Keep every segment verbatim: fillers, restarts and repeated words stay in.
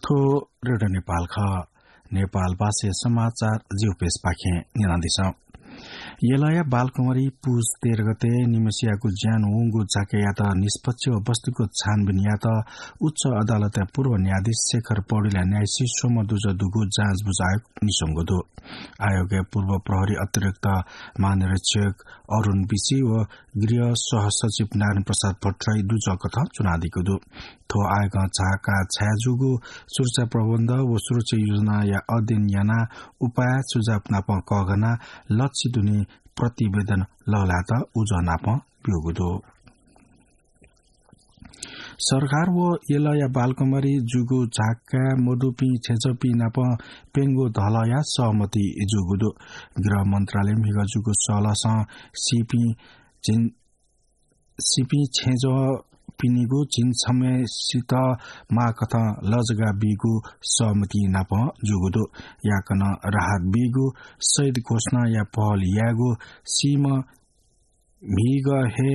थ्व रेडियो नेपाल खः। नेपाल भाषाया समाचार जिगु पेजपाखें न्यनादिसँ। यलया बालकुमारी पुस तेह्र गते निम्हसियागु ज्यान वंगु झाँक्कायात निष्पक्ष व वस्तुगत छानबिन यायेत उच्च अदालतया पूर्व न्यायाधीश शेखर पौडेलया न्यायिक स्वम्ह दुजः दुगु जाँच बुझ आयोग निस्वंगु दु। आयोगया पूर्व प्रहरी अतिरिक्त महानिरीक्षक अरुण बिसी व गृह सहसचिव नारायण प्रसाद भट्टराई दुजःकथं च्वनादीगु दु। थ्व आयोगं झाँक्का छाय् जूगु सुरक्षा प्रबन्ध व सुरक्षा योजनाया अध्ययन यानाः उपाय सुझाव नाप कःघानाः लक्षित दुने प्रतिवेदन लःल्हायेत उजं नाप ब्यूगु दु। सरकार व यलया बालकुमारी जूगु झाँक्का मदुपिं छेँजःपिं नाप प्यंगू धलया सहमति जूगु दु। गृह मन्त्रालयं म्हिगः जूगु सहलहसं सीपिं झिं-, सीपिं छेँजःपिनिगु झिंछम्हय्‌सित माःकथं लजगाः बीगु सहमति नाप जूगु दु। याकनं राहत बीगु, शहीद घोषणाया पहल यायेगु, सीम्ह म्हिगः हे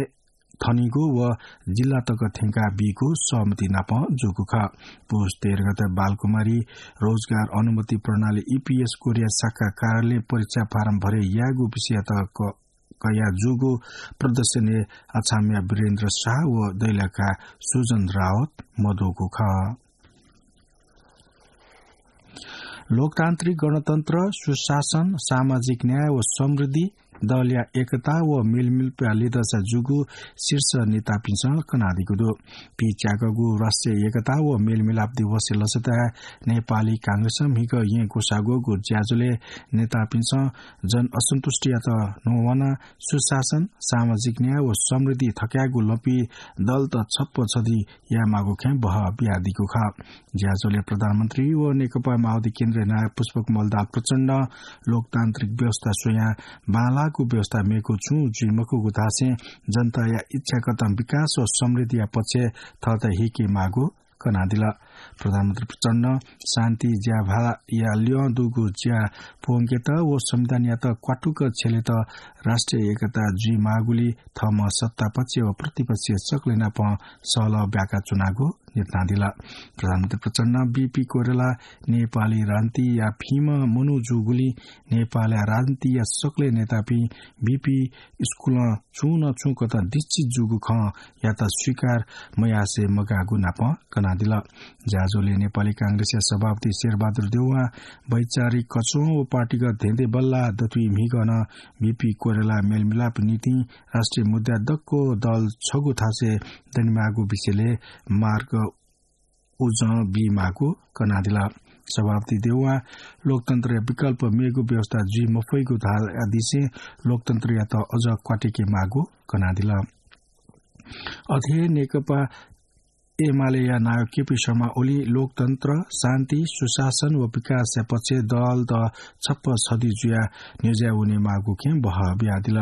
थनेगु व जिल्ला तक थ्यंका बीगु सहमति नाप जूगु खः। पुस तेह्र गते बालकुमारी रोजगार अनुमति प्रणाली, ईपीएस कोरिया शाखा कार्यालयं परीक्षा फारम भरे यायेगु विषययात क-, कयाः जूगु प्रदर्शनय् अछामया वीरेन्द्र शाह व दैलेखा सुजन रावत मदुगु खः। लोकतान्त्रिक गणतन्त्र, सुशासन, सामाजिक न्याय व समृद्धि, दलया एकता व मेलमिलापया लिधंसा जूगु शीर्ष नेतापिन्सं कनादीगु दु। पिच्याकःगु राष्ट्रिय एकता व मेलमिलाप दिवसया लसताय् नेपाली कांग्रेसं म्हिगः येँ ग्वसाः ग्वःगु ज्याझ्वलय् नेतापिन्सं जनअसन्तुष्टियात न्ह्यवनाः सुशासन, सामाजिक न्याय व समृद्धि थकायेगु लँपुइ दलत छप्पँ छधी यायेमाःगु खँय् बहः बियादीगु खः। ज्याझ्वलय् प्रधानमन्त्री व नेकपा माओवादी केन्द्रीय नायः पुष्पकमल दाहाल प्रचण्डं लोकतान्त्रिक व्यवस्था स्वयाः बांलाःगु व्यवस्था मेगु छुं जुइ मखुगु धासें जनताया इच्छाकथं विकास व समृद्धिया पक्षय् थःत हीकेमाःगु कनादिल। प्रधानमन्त्री प्रचण्डं शान्ति ज्याभालया ल्यं दुगु ज्या पूवंकेत व संविधानयात क्वातुक छ्यलेत राष्ट्रिय एकता जुइमाःगुलिं थःम्हं सत्तापक्ष व प्रतिपक्ष सकलेनाप सहलह ब्याकाच्वनागु न्ह्यथनादिल। प्रधानमन्त्री प्रचण्डं बीपी कोइराला नेपाली राजनीतिया भिंम्ह मनू जूगुलिं नेपालया राजनीतिया सकलें नेतापिं बीपी स्कुलं छुं न छुं कथं दीक्षित जूगु खँयात स्वीकार मयासें मगाःगु नाप कनादिल। ज्याझ्वलय् नेपाली कांग्रेसया सभापति शेरबहादुर देउवा, वैचारिक कच्वं व पार्टीगत धेंधेंबल्लाः दथुइ म्हिगः नं बीपी कोइराला मेलमिलाप निंतिं राष्ट्रिय मुद्दाय् दक्व दल छगू थासय् दनेमाःगु विषयलय् मार्ग उजं बीमाःगु कनादिल। सभापति देउवां लोकतन्त्रया विकल्प मेगु व्यवस्था जुइ मफइगु धाःदिसें लोकतन्त्रयात अझ क्वातुकेमाःगु कनादिल। अथे हे नेकपा एमालेया नायः केपी शर्मा ओलीं लोकतन्त्र, शान्ति, सुशासन व विकासया पक्षय् दलत छप्पँ छधी जुयाः न्ह्यज्याः वनेमाःगु खँय् बहः बियादिल।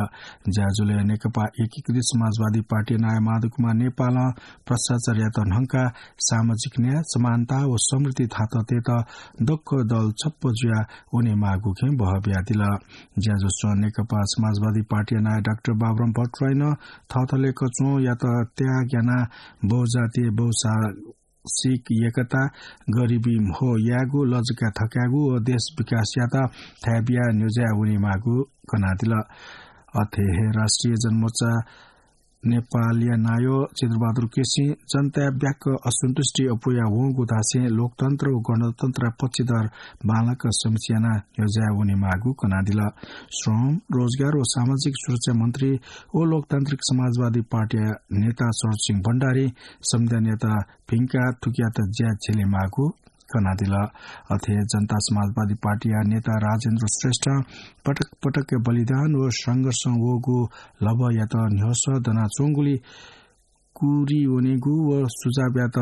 ज्याझ्वलय् नेकपा एकीकृत समाजवादी पार्टीया नायः माधव कुमार नेपालं भ्रष्टाचारयात न्हंकाः सामाजिक न्याय, समानता व समृद्धि थात तयेत दक्व दल छप्पँ जुयाः वनेमाःगु खँय् बहः बियादिल। ज्याझ्वलय् नेकपा समाजवादी पार्टीया नायः डाक्टर बाबुराम भट्टराईं थःथःले कच्वंयात त्याग यानाः बहुजातीय, बहुभाषिक एकता, गरिबी म्हो यायेगु, लजगाः थकायेगु व देश विकासयात थाय् बियाः न्ह्यज्याः वनेमाःगु कनादिल। अथे हे राष्ट्रिय जनमोर्चा नेपालया नायः चित्रबहादुर केसीं जनताया ब्याक्क असन्तुष्टि अप्वया वंगु धासें लोकतन्त्र व गणतन्त्रया पक्षधर बांलाक समीक्षा यानाः न्ह्यज्याः वनेमाःगु कनादिल। श्रम, रोजगार व सामाजिक सुरक्षा मन्त्री व लोकतान्त्रिक समाजवादी पार्टीया नेता शरद सिंह भण्डारीं संविधानयात भिंकाः थुकियात ज्याय् छ्यलेमाःगु कनादिल। अथे जनता समाजवादी पार्टीया नेता राजेन्द्र श्रेष्ठं पटक पटक बलिदान व संघर्षं वःगु लभ्वयात न्ह्यसः दनाच्वंगुलिं कुरी वनेगु व सुझावयात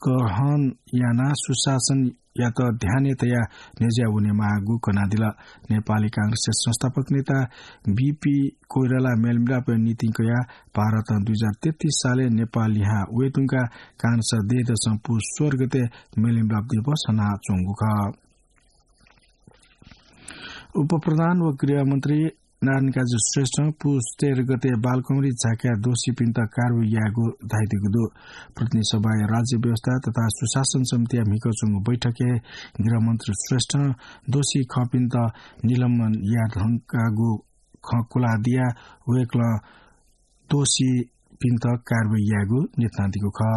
ग्रहण यानाः सुशासनयात ध्यानय् तयाः न्ह्यज्याः वनेमाःगु कनादिल। नेपाली कांग्रेसया संस्थापक नेता बीपी कोइराला मेलमिलापया निंतिं कयाः भारतं दुई हजार तेत्तिस सालय् नेपाल लिहां वयेधुंकाः कांग्रेसं दँय्‌दसं पुस सोह्र गते मेलमिलाप दिवस हनाच्वंगु खः। उपप्रधान व गृहमन्त्री नारायणकाजी श्रेष्ठं पुस तेह्र गते बालकुमारी झाँक्या दोषीपिन्त कारवाही यायेगु धाइदिएको दु। प्रतिनिधि सभाया राज्य व्यवस्था तथा सुशासन समितिया म्हिगः च्वंगु बैठकय् गृहमन्त्री श्रेष्ठं दोषी खःपिन्त निलम्बन याये धुंकागु खँ खुलादिया वय्कलं दोषीपिन्त कारवाही यायेगु न्यनादीगु खः।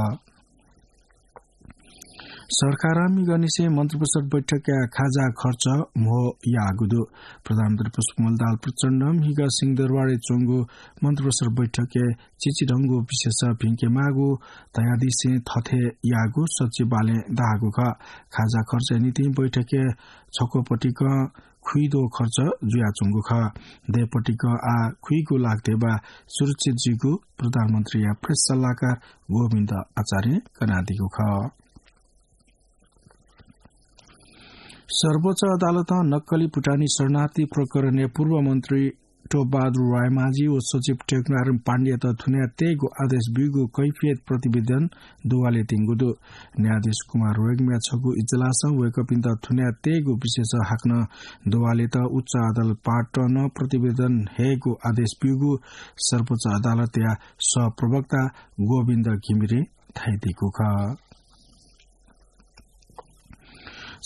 सरकारं म्हिगःनिसें मन्त्रिपरिषद बैठकया खाजा खर्च म्हो याःगु दु। प्रधानमन्त्री पुष्पकमल दाहाल प्रचण्डं म्हिगः सिंहदरबारय् च्वंगु मन्त्रिपरिषद बैठकय् चिचिधंगु विशेष भिंके माःगु धयादिसें थथे याःगु सचिवालयं धाःगु खः। खाजा खर्चया निंतिं बैठकय् छक्वपतिकं खुइदो खर्च जुयाच्वंगु खः। दय्पतिकं आः खुइगु लाख ध्यबा सुरक्षित जुइगु प्रधानमन्त्रीया प्रेस सल्लाहकार गोविन्द आचार्यं कनादीगु खः। सर्वोच्च अदालतं नक्कली भुटानी शरणार्थी प्रकरणय् पूर्व मन्त्री टोपबहादुर रायमाझी व सचिव टेकनारायण पाण्डेयात थुनाय् तयेगु आदेश ब्यूगु कैफियत प्रतिवेदन दुवाले त्यंगु दु। न्यायाधीश कुमार रेग्मीया छगू इजलासं वय्कःपिन्त थुनाय् तयेगु विशेष हाकनं दुवालेत उच्च अदालत पाटनं प्रतिवेदन हयेगु आदेश ब्यूगु सर्वोच्च अदालतया सहप्रवक्ता गोविन्द घिमिरें धाइदीगु खः।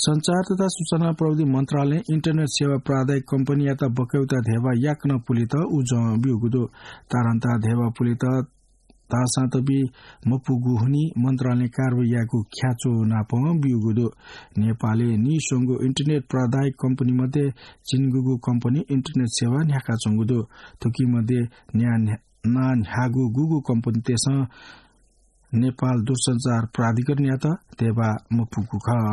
सञ्चार तथा सूचना प्रविधि मन्त्रालयं इन्टरनेट सेवा प्रावधायिक कम्पनीयात बकौता ध्यबा याकनं पुलेत उजं ब्यूगु दु। तारन्तार ध्यबा पुलेत तासां तबि मपुगु हुनिं मन्त्रालयं कारवाही यायेगु ख्याच्वः नापं ब्यूगु दु। नेपालय् नीस्वंगु इन्टरनेट प्रावधायिक कम्पनी मध्ये झिंगुगु कम्पनी इन्टरनेट सेवा न्ह्याकाच्वंगु दु। थुकी मध्ये न्या-, न्या-, नां न्ह्याःगु गुगु कम्पनीतय्सं नेपाल दूरसञ्चार प्राधिकरणयात ध्यबा मपुगु खः।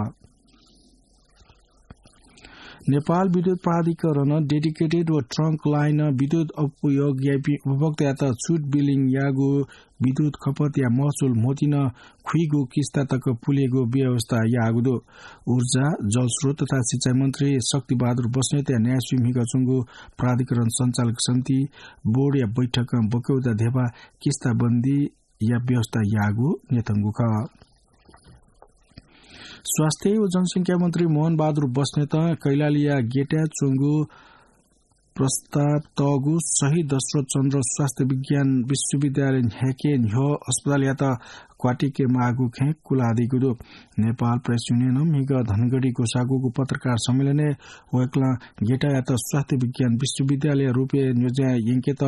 नेपाल विद्युत प्राधिकरणं dedicated व trunk line विद्युत उपयोग याइपिं उपभोक्तायात छुट बिलिङ याःगु विद्युत खपतया महसुल म्होतिं खुइगु किस्ता तक पुलेगु व्यवस्था याःगु दु। ऊर्जा, जलस्रोत तथा सिँचाइ मन्त्री शक्तिबहादुर बस्नेतया न्यायस्वी म्हिगः च्वंगु प्राधिकरण सञ्चालक समिति बोर्डया बैठकं बकौता ध्यबा किस्ताबन्दी या व्यवस्था याःगु न्यंकूगु खः। स्वास्थ्य व जनसंख्या मन्त्री मोहन बहादुर बस्नेतं कैलालीया गेटाय् च्वंगु प्रस्ताव तःगु शहीद दशरथ चन्द्र स्वास्थ्य विज्ञान विश्वविद्यालय न्ह्याके न्ह्यः अस्पतालयात क्वातिके माःगु खँय् कुलादीगु दु। नेपाल प्रेस युनियनं म्हिगः धनगढी ग्वसाःगु पत्रकार सम्मेलनय् वय्कलं गेटायात स्वास्थ्य विज्ञान विश्वविद्यालय रूपय् न्ह्यज्यां यंकेत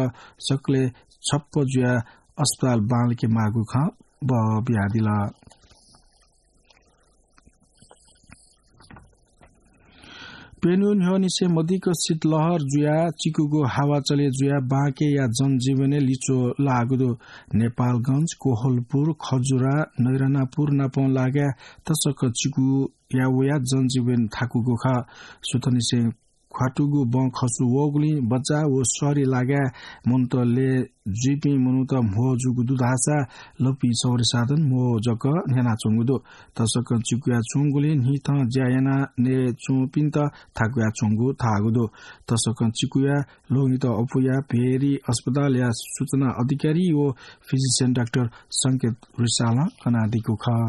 सकलें छप्पँ जुयाः अस्पताल बांलाके माःगु खँ बबियादिल। प्यन्हु न्ह्यःनिसें मदिक्क शीतलहर जुयाः चिकुगु हावा चले जुयाः बांकेया जनजीवनय् लिच्वः लाःगु दु। नेपालगञ्ज, कोहलपुर, खजुरा, नैरानापुर नापं लागाय् तसकं चिकुया वयाः जनजीवन थाकूगु खः। सुथंनिसें ख्वातुगु बँ खसु वःगुलिं बज्जा व शहरय् लागाय् मनूत लय् जुइपिं मनूत म्हो जूगु दु धाःसा लँपुइ सवारी साधन म्हो जक न्ह्यानाच्वंगु दु। तसकं चिकुया च्वंगुलिं न्हिथं ज्या यानाः नये च्वंपिन्त थाकुया च्वंगु धाःगु दु। तसकं चिकुया ल्वहंत अप्वयाः भेरी अस्पतालया सूचना अधिकारी व physician डाक्टर संकेत रिसालं कनादीगु खः।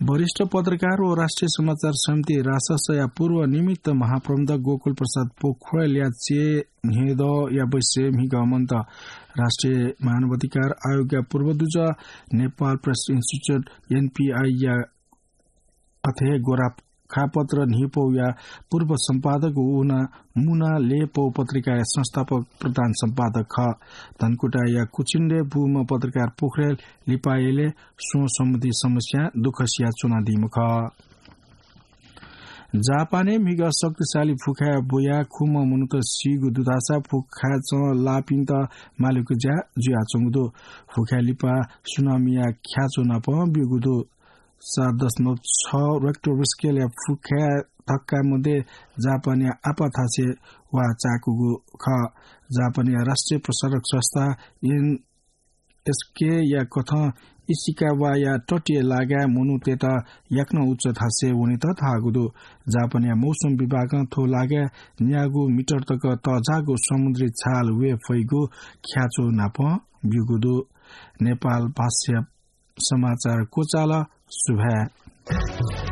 वरिष्ठ पत्रकार व राष्ट्रिय समाचार समिति राससया पूर्व निमित्त महाप्रबन्धक गोकुल प्रसाद पोखरेलया चेन्हेदँया बैसय् म्हिगः मन्त। राष्ट्रिय मानवाधिकार आयोगया पूर्वदूत, नेपाल प्रेस इन्स्टिच्युट, एनपीआईया अथे गोरखापत्र न्हिपौया पूर्व सम्पादक व उना मुना लेपौ पत्रिकाया संस्थापक प्रधान सम्पादक खः। धनकुटाया कुचिन्द्रे बूम्ह पत्रकार पोखरेल लिपायलय् स्वँ सम्बन्धी समस्यां दुःख सिया च्वनादीम्ह खः। जापानय् म्हिगः शक्तिशाली फुखाय् बुयाः खुम्ह मनूत सीगु दु धाःसा फुखाय् चं लाःपिन्त मालेगु ज्या जुयाच्वंगु दु। फुखाय् लिपा सुनामीया ख्याच्वः नापं ब्यूगु दु। सात दशमलव छ रेक्टर स्केलया फुखाय् धक्का मध्ये जापानया आपाथासय् वा चाकूगु खः। जापानया राष्ट्रिय प्रसारक संस्था एनएचकेया कथं इसिकावाया तटीय लागाय् मनूतय्त याकनं उच्च थासय् वनेत धाःगु दु। जापानया मौसम विभागं थ्व लागाय् न्यागू मिटर तक तःजाःगु समुद्री छाल वये फइगु ख्याच्वः नापं ब्यूगु दु। नेपाल भाषा समाचार क्वचाल। सुभाय्।